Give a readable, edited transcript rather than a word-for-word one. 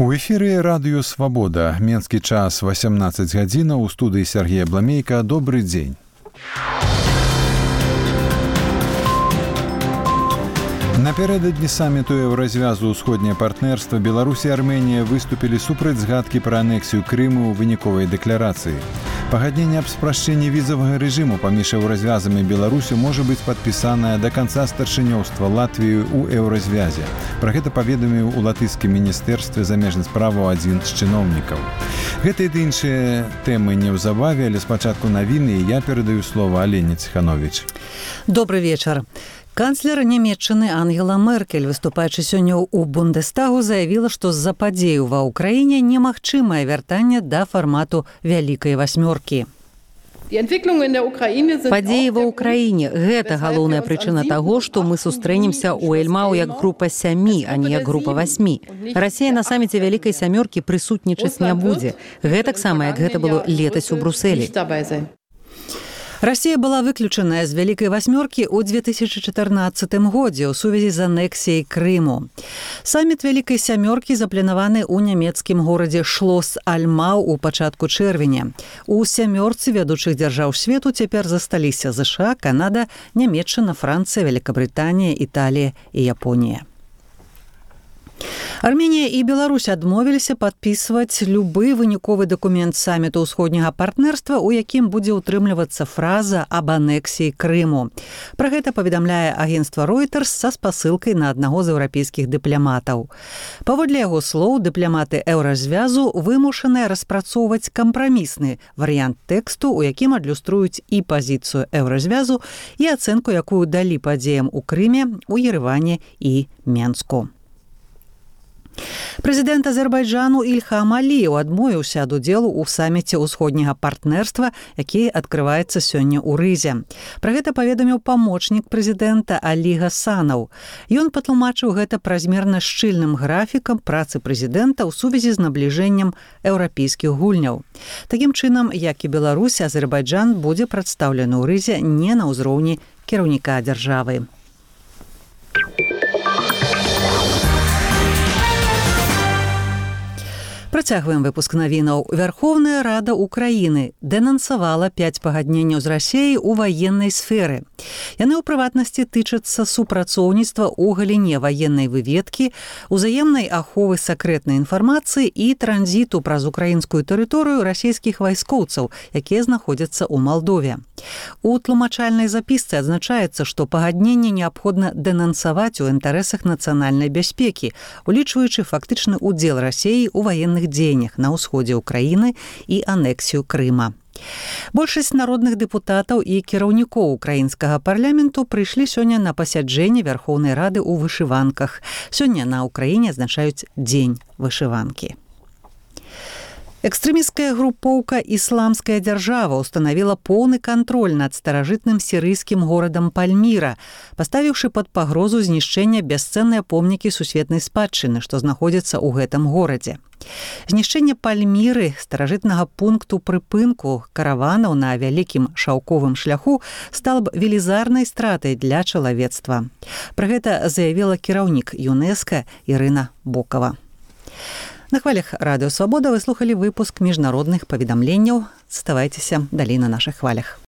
У эфіры радыё «Свабода». Менскі час 18 гадзінаў. У студыі Сергея Бламейка. Добрый дзень. Напярэдадні саміту Еўразвязу «Усходняе партнерства» Беларусь і Арменія выступілі супраць згадкі пра анексію Крыму ў выніковай дэкларацыі. Пагадненне аб спрашчэнні візавага рэжыму паміж еўразвязам і Беларусю можа быць падпісанае да канца старшынёўства Латвіі ў Еўразвязе. Пра гэта паведаміў у латышскім міністэрстве замежных справаў адзін з чыноўнікаў. Гэта і іншыя тэмы неўзабаве, але спачатку навіны, і я перадаю слова Алене Ціхановіч. Добрый вечар. Канцлер Нямецчыны Ангела Меркель, выступаючы сёння ў Бундестагу, заявіла, што з-за падзеяў ва ўкраіне немагчымае вяртанне да фармату Вялікай васьмёркі. Падзеі ва ўкраіне – гэта галоўная прычына таго, што мы сустрэнемся ў Эльмау як група 7, а не як група 8. Расія на саміце Вялікай сямёркі прысутнічаць не будзе. Гэтаксама, як гэта было летась у Брусэлі. Расія была выключаная з Вялікай васьмёркі ў 2014 годзе ў сувязі з анексіяй Крыму. Саміт Вялікай сямёркі запланаваны ў нямецкім горадзе Шлос Альмау ў пачатку чэрвеня. У сямёрцы вядучых дзяржаў свету цяпер засталіся ЗША, Канада, Нямецчына, Францыя, Вялікабрытанія, Італія і Японія. Арменія і Беларусь адмовіліся падпісваць любы выніковы дакумент саміту ўсходняга партнерства, у якім будзе ўтрымлівацца фраза аб анексіі Крыму. Пра гэта паведамляе агенцтва Reuters са спасылкай на аднаго з еўрапейскіх дыпламатаў. Паводле яго слоў, дыпламаты Еўразвязу вымушаныя распрацоўваць кампрамісны варыянт тэксту, у якім адлюструюць і пазіцыю Еўразвязу, і ацэнку, якую далі падзеям у Крыме, у Ереване і Менску. Прэзідэнт Азербайджану Ільхам Аліеў адмовіўся ад удзелу ў саміце ўсходняга партнерства, які адкрываецца сёння ў Рызе. Пра гэта паведаміў памочнік прэзідэнта Алі Гасанаў. Ён патлумачыў гэта празмерна шчыльным графікам працы прэзідэнта ў сувязі з набліжэннем еўрапейскіх гульняў. Такім чынам, як і Беларусь, Азербайджан будзе прадстаўлены ў Рызе не на ўзроўні кіраўніка дзяржавы. Працягваем выпуск навінаў. Верховная Рада Украіны дэнансавала 5 пагадненняў з Расіяй у ваеннай сферы. Яны ў прыватнасці тычацца супрацоўніцтва ў галіне ваеннай выведкі, узаемнай аховы сакрэтнай інфармацыі і транзіту праз украінскую тэрыторыю расійскіх вайскоўцаў, якія знаходзяцца ў Малдове. У тлумачальнай запісцы адзначаецца, што пагадненне неабходна дэнансаваць у інтарэсах нацыянальнай бяспекі, улічваючы фактычны ўдзел Расіі ў ваенных дзеяннях на ўсходзе ўкраіны і анексію Крыма. Большасць народных дэпутатаў і кіраўнікоў украінскага парламенту прыйшлі сёння на пасяджэнне Верхоўнай Рады ў вышыванках. Сёння на ўкраіне адзначаюць дзень вышыванкі. Экстрэмісцкая групоўка «Ісламская дзяржава» устанавіла поўны кантроль над старажытным сірыйскім горадам Пальміра, паставіўшы пад пагрозу знішчэння бясцэнныя помнікі сусветнай спадчыны, што знаходзяцца ў гэтым горадзе. Знішчэнне Пальміры, старажытнага пункту прыпынку караванаў на вялікім шаўковым шляху, стала б велізарнай стратай для чалавецтва. Пра гэта заявіла кіраўнік ЮНЕСКО Ірына Бокава. На хвалях радыё «Свабода» вы слухалі выпуск міжнародных паведамленняў. Заставайцеся далей на нашых хвалях.